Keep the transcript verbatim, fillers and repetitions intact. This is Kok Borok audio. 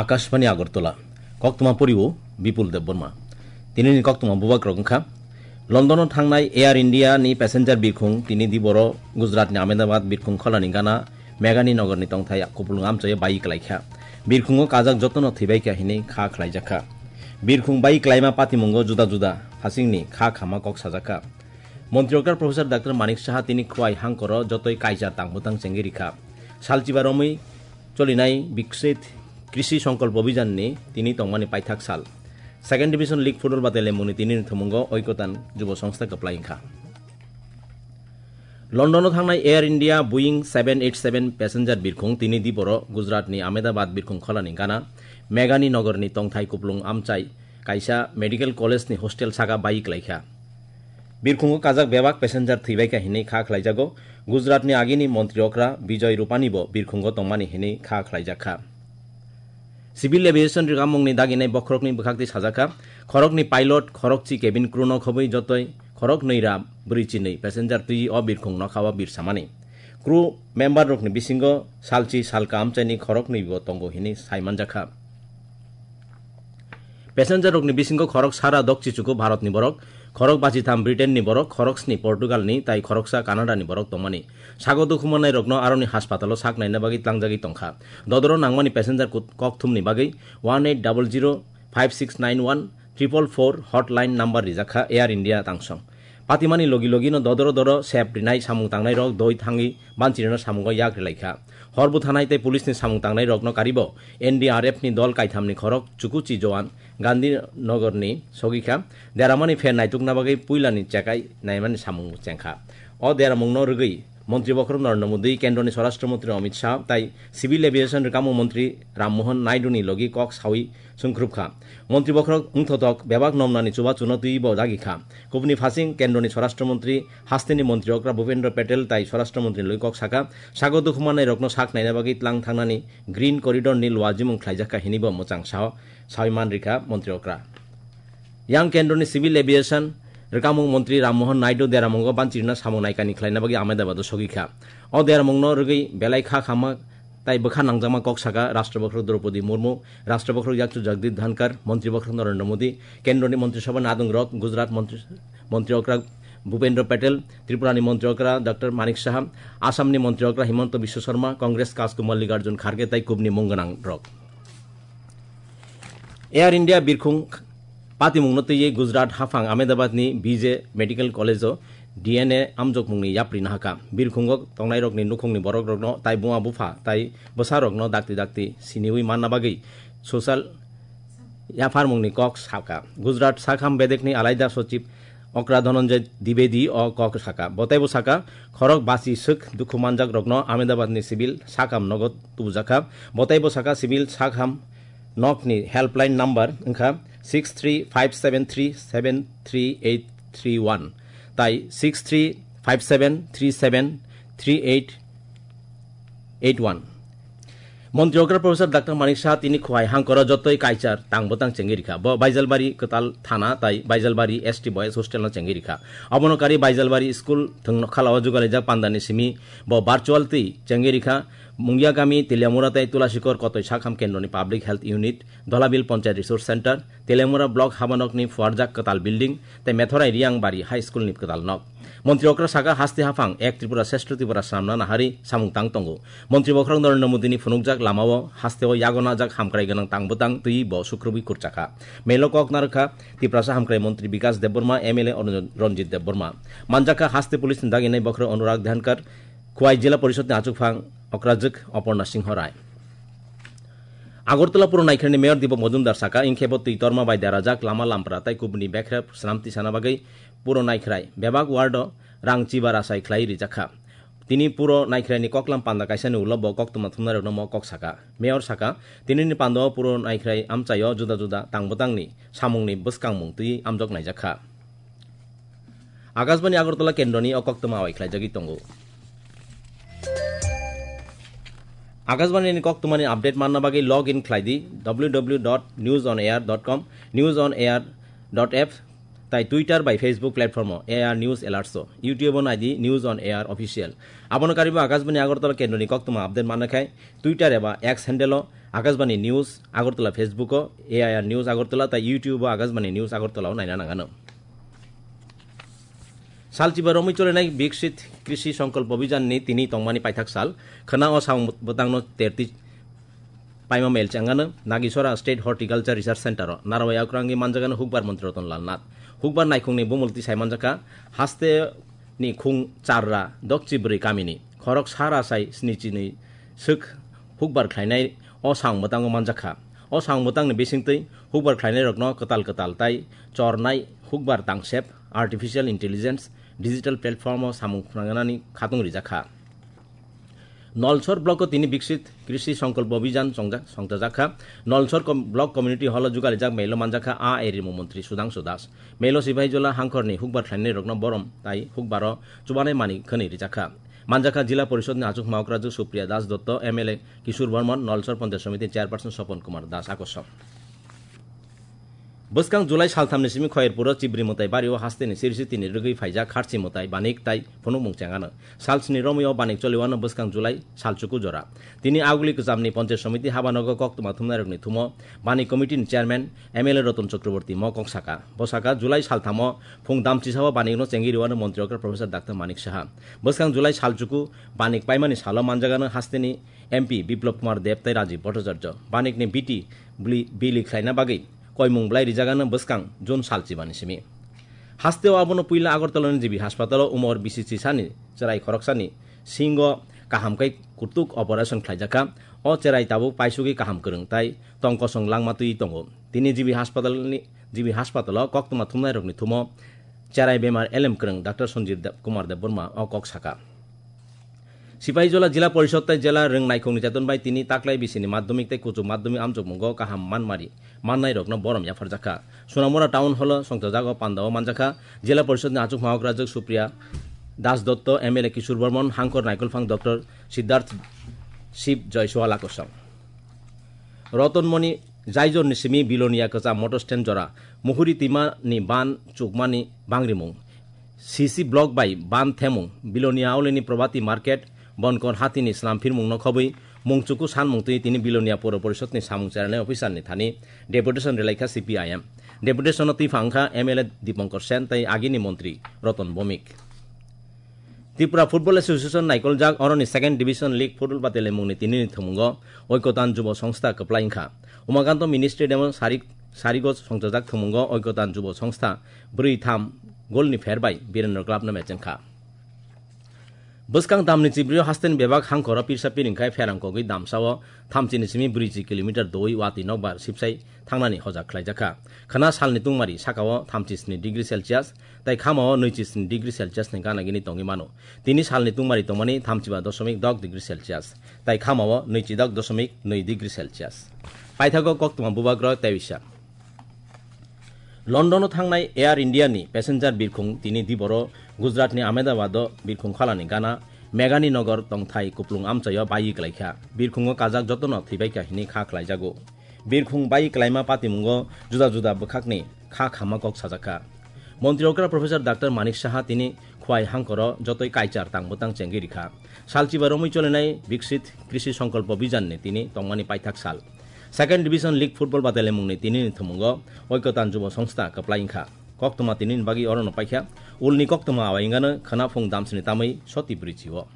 Akashbani Agartala, koktwma poriwo Bipul Debbarma. Tinini koktwma bubagrok wngkha: London-o thangnai Air India ni passenger birkhung tini diboro Gujarat ni Ahmedabad birkhung kholani gana Megani Nogor ni tongthai kupulung amchaio bai klaikha. Birkhungo kajak jotono thwibaikha hinwi kha khlaijakha. Birkhung bai klaima patimungo juda juda hasingni kha khama kok sajakha. Montri okra Professor Doctor Manik Saha tini Khwai hangkoro jotoi kaichar tang bwtang chengwi rikha. Salchiba romwi cholinai Viksit Krishi Sankalp Abhiyan ni tini tongmani paithak sal. Second Division League Football Battle mungni tini ni thumungo Oikotan Jubo Songstha kwplai wngkha. London-o thangnai Air India Boeing seven eight seven passenger birkhung tini diboro Gujarat ni Ahmedabad birkhung kholani gana Megani Nogor ni tongthai kupulung amchai kaisa medical college ni hostel saka bai klaikha. Birkhungo kajak bebak passenger thwibaikha hinwi kha khlaijago. Gujarat ni agini montri okra Bijoy Rupani bo birkhungo tongmani hinwi kha khlaijakha. Civil Aviation rikamungni daginai bokhorokni bwkhaktwi sajakha, khorokni pilot, khorokchi cabin crew no khobwi jotoi khoroknwi ra bwrwi chinwi passenger twi o birkhung nokhao birsamani. Crew member rokni bisingo salchi salka amchaini khoroknwi bo tongo hinwi saimanjakha. Passenger rokni bisingo khorok sara dokchichuku Bharat ni borok, khorok bachitham Britain ni borok, khorok sni Portugal ni tai khoroksa Canada ni borok tongmani. Sago dukhu manai rokno aroni haspatalo sak naina bagwi tlangjagwi tongkha. Dodoro nangmani passenger kut-, kokthumni bagwi one eight double zero five six nine one triple four hotline number rijakha Air India tangsong. Patimani logi logi no dodoro doro sep rinai samung tangnai rok doi thangwi banchirino samungo yak rilaikha. Hor buthanai tei police ni samung tangnai rokno karibo N D R F ni dol kaithamni khorok chukuchi joan Gandhi Nogor ni sogikha. Deramani pher naitukna bagwi puilani chekai naimani samung chengkha. O deramungno rwgwi Montri bokhorok Narendra Modi, Kendroni Swarashtra Montri Amit Shah tai Civil Aviation rwkamung Montri Ram Mohan Naidu ni logi kok sawi sungkhrupkha. Montri bokhorok wngthotok bebak nomnani chubachuno twibo dagikha. Kubuni phasing Kendroni Swarashtra Montri hasteni Montri okra Bhupendra Patel tai Swarashtra Montri ni logi kok saka, sago dukhu manai rokno sak naina bagwi tlang thangnani Green Corridor ni luajimung khlaijakha hinwibo mwchang sao sawi man rikha Montri okra. Yang Kendroni Civil Aviation rwkamung Montri Ram Mohan Naidu deramungo banchirino samung naikani khlaina bagwi Ahmedabad o sogikha. O deramungno rwgwi belai kha khama tai bwkha nangjakma kok saka Rashtra Bokhorok Draupadi Murmu, Rashtra Bokhorok Yakchu Jagdeep Dhankar, Montri Bokhorok Narendra Modi, Kendroni Montri Sabhani adongrok, Gujarat Montri, Montri okra Bhupendra Patel, Tripurani Montri okra Doctor Manik Saha, Assamni Montri okra Himanta Biswa Sarma, Congress Kajku Mallikarjun Kharge tai kubni mung gwnangrok. Air India birkhung patimungno twiwi Gujarat haphang Ahmedabadni B J Medical College-o D N A amjokmungni yapri nahakha. Birkhungo tongnairokni nukhungni borokrokno tai buma bupha tai bwsarokno dakti dakti siniwi manna bagwi social yapharmungni kok sakha. Gujarat sakham bedekni alaida sochib okra Dhananjay Dwivedi o kok saka. Botaibo saka, khorok basi swk dukhu manjakrokno Ahmedabadni civil sakham nogo tubujakha. Botaibo saka civil sakham nokni helpline number wngkha six three five seven three seven three eight three one tai six three five seven three seven three eight eight one. Montri okra Professor Doctor Manik Saha tini Khowai hangkoro jotoi kaichar tang bwtang chengwi rikha. Bo Baijalbari kwtal thana tai Baijalbari S T Boys Hostel no chengwi rikha. Obono kari Baijalbari school thwng nokhalao jugalijak pandani simi bo virtual twi chengwi rikha. Mungiagami, Teliamura tai Tulasikor kotoi sakham kendroni Public Health Unit, Dholabil Panchayat Resource Center, Teliamura Block habanokni phuarjak kwtal building tei Methorai Riyangbari High School ni kwtal nok. Montri okra saka, haste haphang ek Tripura Sreshto Tripura swnamna nahari samung tang tongo. Montri bokhorok Narendra Modi ni phunukjak lamao hasteo yago najak hamkrai gwnang tang bwtang twiwi bo sukrubwi kurchakha. Melo kok narwkha Tiprasa hamkrai montri Bikas Debbarma, M L A Ranjit Debbarma. Manjakha haste police ni daginai bokhorok Anurag Dhankar, Khowai Jila Porishod ni achukphang okrajwk Oporna Singho Rai. Agartala Puro Naikhraini Mayor Deepak Majumdar saka, ingkhe bo twi torma bai derajak lama lampra tai kubuni bekhra swnam tisana bagwi Puro Naikhrai bebak ward o rang chiba rachai khlai rijakha. Tini Puro Naikhraini koklam panda kaisani ulo bo koktwma thumnairokno mo kok saka. Mayor saka, tinini pandao Puro Naikhrai amchaio juda juda tang bwtangni samungni bwskangmung twi amjok naijakha. Akashbani Agartala kendroni o koktwma awai khlaijagwi tongo. Akashbani ni koktwmani update manna bagwi log in khlai di W W W dot news on air dot com, news on air dot app, tai Twitter bai Facebook platform o A R News Alerts o, YouTube o nai di News on Air Official. Abono karibo Akashbani Agartala kendroni koktwma update manna khai Twitter eba X handle o Akashbani News Agartala Facebook o, A I R News Agartala tai YouTube o Akashbani News Agartala o naina nangano. Salchiba romwi cholenai Biksit Krishi Sankalp Abhijan ni tini tongmani paithak sal, khwna o samung bwtangno terti paima mel changano Nagisora State Horticulture Research Center o narwai akrangwi manjagano hukbar Montri Ratan Lal Nath. Hukbar naikhungni bumulti sai manjakha, haste ni khung charra dokchi bwrwi kamini khorok sara sai snichini swk hukbar khlainai o samung bwtango manjakha. O samung bwtangni bisingtwi hukbar khlainairokno kwtal kwtal tai chornai hukbar tangsep, artificial intelligence, digital platform o samung phwnangnani khatung rijakha. Nolsor block o tini Biksit Krishi Sankalp Abhijan chongjak, songchajakha. Nolsor com-, block community hall o jugalijak melo manjakha a eri mung montri Sudhangshu Das. Melo Sipahijola hangkhorni hukbar khlainairokno borom tai hukbaro chubanai mani khwnwi rijakha. Manjakha Jila Porishod ni achuk maokrajwk Supriya Das Dotto, M L A Kishore Barman, Nolsor Panchayat Samiti Chairperson Sopon Kumar Das akosong. Bwskang July salthamni simi Khoyerpuro Chibri Mwtai bario hasteni sirisitini rwgwi phaijak Kharchi Mwtai Banik tai phunukmung chengano. Salsni romwi o Banik choliwano bwskang July salchuku jora. Tini Aguli Kwchamni Panchayat Samiti habanogo koktwma thumnairokni thumo Banik Committee ni Chairman M L A Ratan Chakraborty mo kok saka. Bo saka, July salthamo phung damchisao Banikno chengwi rwano Montri Okra Professor Doctor Manik Saha. Bwskang July salchuku Banik paimani salo manjagano hasteni M P Biplab Kumar Deb tai Rajiv Bhattacharya. Banikni B T bili, bili khlaina bagwi koimung bwlai rijagano bwskang June salchibani simi. Hasteo abono puila Agartalani G B haspatal o umor bisi chisani cherai khoroksani singo kaham khe kutuk operation khlaijakha. O cherai tabuk paisugwi kaham kwrwng tai tong kosong langma twi tongo. Tini G B haspatalni, G B haspatal o koktwma thumnairokni thumo cherai bemar elem kwrwng Doctor Sanjeev Deb-, Kumar Debbarma o kok saka. Sipahijola Jila Porishod tai Jela Rwng Naikhungni cheton bai tini taklai bisini madhyamik tei kuchuk madhyamik amchokmungo kaham manmari mannairokno borom yapharjakha. Sonamura Town Hall o songchajago pandao manjakha Jila Porishod ni achuk maokrajwk Supriya Das Dotto, M L A Kishore Barman, hangkor naikolphang Doctor Siddharth Shiv Joy Suala kosong. Rotonmoni Jaijor ni simi Bilonia kwcham motor stand jora Muhuri twima ni ban chukmani bangrimung. C C block bai ban themung. Bilonia aulini Probati market bonkor hatini slam phirmung no khobwi mungchuku sanmung twi tini Bilonia Poro Porishod ni samung cherani officer ni thani deputation relaikha C P I M. Deputation no twi phangkha M L A Dipankar Sen tai agini montri Roton Bomik. Tripura Football Association naikoljak oroni Second Division League Football Batelemungni tinini thumungo Oikotan Jubo Songstha kwplai wngkha. Umakanto Mini Stadium o sari-, sarigo songchajak thumungo Oikotan Jubo Songstha bwrwi tham golni pher bai Birendra Club no mechengkha. Bwskang damni chibrio hasteni bebak hangkoro pirsa piringkhai pherang kogwi damsao thamchini simi brwichi kilometer doi watwi nokbar sipsai thangnani hojak khlaijakha. Khwna salni tungmari sakao thamchisni degree Celsius tai khamao nwichi sni degree Celsius ni gana gini tongwi mano. Tini salni tungmari tongmani thamchiba dosomik dok degree Celsius, tai khamao nwichi dok dosomik nwi degree Celsius. Paithago koktwma bubagra tei bisa. London o thangnai Air India ni passenger birkhung tini diboro Gujarat ni Ahmedabad o birkhung khalani gana Meghani Nagar tongthai kuplung amchaio baiwi klaikha. Birkhungo kajak jotono thwibaikha hini kha khlaijago. Birkhung bai klaima patimungo juda juda bwkhakni kha khama kok sajakha. Montri okra Professor Doctor Manik Saha tini Khwai hangkoro jotoi kaichar tang bwtang chengwi rikha. Salchiba romwi cholinai Viksit Krishi Sankalpo Abhijan ni tini tongmani paithak sal. Second Division League Football Batalemungni tinini thumungo Oikotan Jubo Songstha kwplai wngkha. Koktwma tinini bagwi orono paikha. Ulni koktwma awai wngano khwnaphung damsini tamwi soti bwrwichio.